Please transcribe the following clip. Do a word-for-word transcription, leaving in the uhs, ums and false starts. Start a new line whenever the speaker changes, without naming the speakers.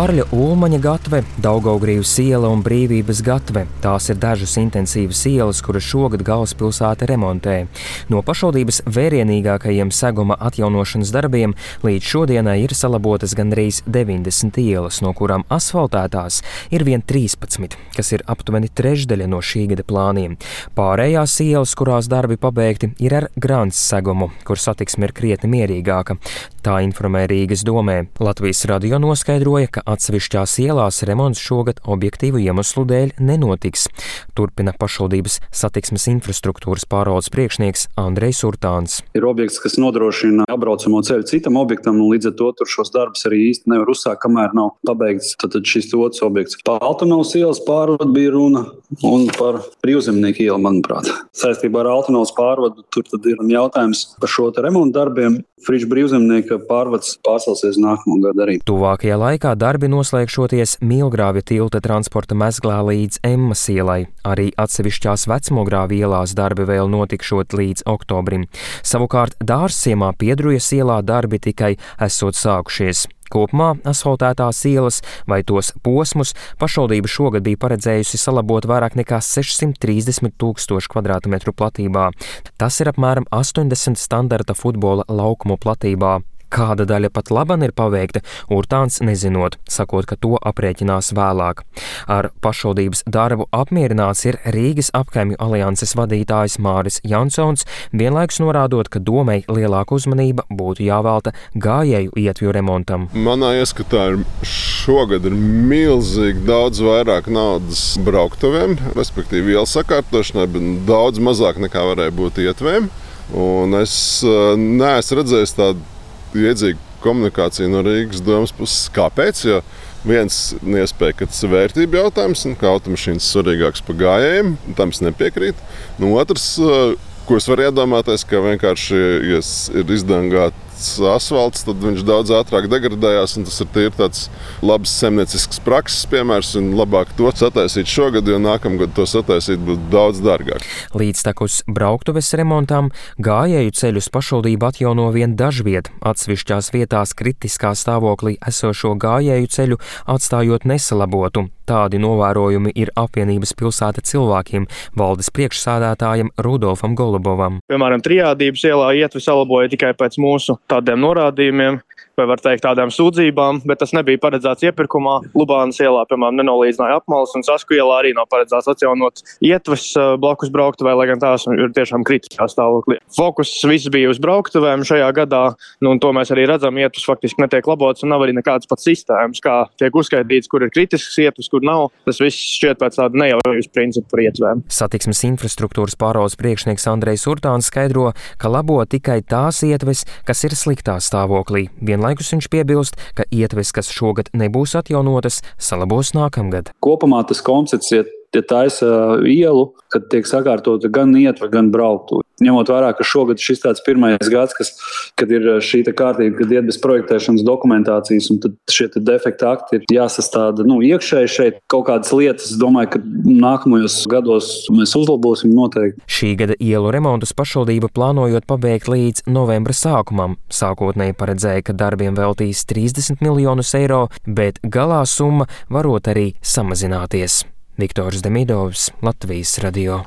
Kārļa Ulmaņa gatve, Daugavgrīvas iela un Brīvības gatve. Tās ir dažas intensīvas ielas, kuras šogad galvaspilsēta remontē. No pašvaldības vērienīgākajiem seguma atjaunošanas darbiem līdz šodienai ir salabotas gandrīz deviņdesmit ielas, no kurām asfaltētās ir vien trīspadsmit, kas ir aptuveni trešdaļa no šī gada plāniem. Pārējās ielas, kurās darbi pabeigti, ir ar grants segumu, kur satiksme ir krietni mierīgāka. Tā informē Rīgas domē. Latvijas radio noskaidroja, ka atsevišķās ielās remonts šogad objektīvu iemeslu dēļ nenotiks. Turpina pašvaldības satiksmes infrastruktūras pārvaldes priekšnieks Andrejs Urtāns.
Ir objekts, kas nodrošina apbraucamo ceļu citam objektam, un līdz ar to tur šos darbus arī īsti nevar uzsākt, kamēr nav pabeigts tad šis otrs objekts. Par Altanavas ielas pārvadu bija runa un par Brīvzemnieku ielu, manuprāt. Saistībā ar Altanavas pārvadu tur tad ir jautājums par šo te remontu darbiem. Friča Brīvzemnieka pārvads pārcelsies nākamo gadu arī.
Tuvākajā laikā darbi noslēgšoties Milgrāvja tilta transporta mezglā līdz Emmas ielai. Arī atsevišķās Vecmogrāvja ielās darbi vēl notikšot līdz oktobrim. Savukārt Dārzciemā Piedrujas ielā darbi tikai esot sākušies. Kopumā asfaltētās ielas vai tos posmus pašvaldība šogad bija paredzējusi salabot vairāk nekā sešsimt trīsdesmit tūkstošu kvadrātmetru platībā. Tas ir apmēram astoņdesmit standarta futbola laukumu platībā. Kāda daļa pat laban ir paveikta, Urtāns nezinot, sakot, ka to aprēķinās vēlāk. Ar pašvaldības darbu apmierināts ir Rīgas apkaimju alianses vadītājs Māris Jansons, vienlaikus norādot, ka domei lielāka uzmanība būtu jāvelta gājēju ietvju remontam.
Manā ieskatā ir šogad ir milzīgi daudz vairāk naudas brauktuvēm, respektīvi ielu sakārtošanai, bet daudz mazāk nekā varēja būt ietvēm. Un es neesmu redzējis tādu iedzīga komunikācija no Rīgas domas puses. Kāpēc? Jo viens iespēja, ka tas ir vērtība jautājums, un ka automašīnas svarīgāks par gājējiem, tam es nepiekrītu. Nu, otrs, ko es varu iedomāties, ka vienkārši, ja ir izdangāts asfalts, tad viņš daudz ātrāk degradējās, un tas ir tīri tāds labs saimniecisks prakses piemērs, un labāk to sataisīt šogad, jo nākamgad to sataisīt būtu daudz dārgāk.
Līdztekus brauktuves remontam gājēju ceļus pašvaldība atjauno vien dažviet, atsevišķās vietās kritiskā stāvoklī esošo gājēju ceļu atstājot nesalabotu. Tādi novērojumi ir apvienības pilsēta cilvēkiem valdes priekšsādātājam Rudolfam Golubovam.
Piemēram, Trijādības ielā ietvi salaboja tikai pēc mūsu tādiem norādījumiem, vai var teikt tādām sūdzībām, bet tas nebija paredzēts iepirkumā. Lubānas ielā, piemēram, nenolīdzināja apmales, un Sasku ielā arī nav paredzēts atjaunot ietves blakus brauktuvē, lai gan tās ir tiešām kritiskā stāvoklī. Fokus viss bija uz brauktuvēm šajā gadā, nu, un to mēs arī redzam, ietves faktiski netiek labots, un nav arī nekādas pat sistēmas, kā tiek uzskaitīts, kur ir kritisks ietves, kur nav. Tas viss šķiet pēc tāda nejaujas principu par ietvēm.
Satiksmes infrastruktūras pārvaldes priekšnieks Andrejs Urtāns skaidro, ka labo tikai tās ietves, kas ir sliktā stāvoklī. Vienlaikus viņš piebilst, ka ietves, kas šogad nebūs atjaunotas, salabos nākamgad.
Kopumā tas koncepts ir, ja taisa ielu, kad tiek sakārtota gan ietve, gan brauktuve. Ņemot vērā, ka šogad šis tāds pirmais gads, kas, kad ir šī kārtība, kad iet bez projektēšanas dokumentācijas, un tad šie defekti akti ir jāsastāda nu, iekšēji šeit kaut kādas lietas. Es domāju, ka nākamajos gados mēs uzlabosim noteikti.
Šī gada ielu remontus pašvaldība plānojot pabeigt līdz novembra sākumam. Sākotnēji paredzēja, ka darbiem veltīs trīsdesmit miljonus eiro, bet galā summa varot arī samazināties. Viktors Demidovs, Latvijas radio.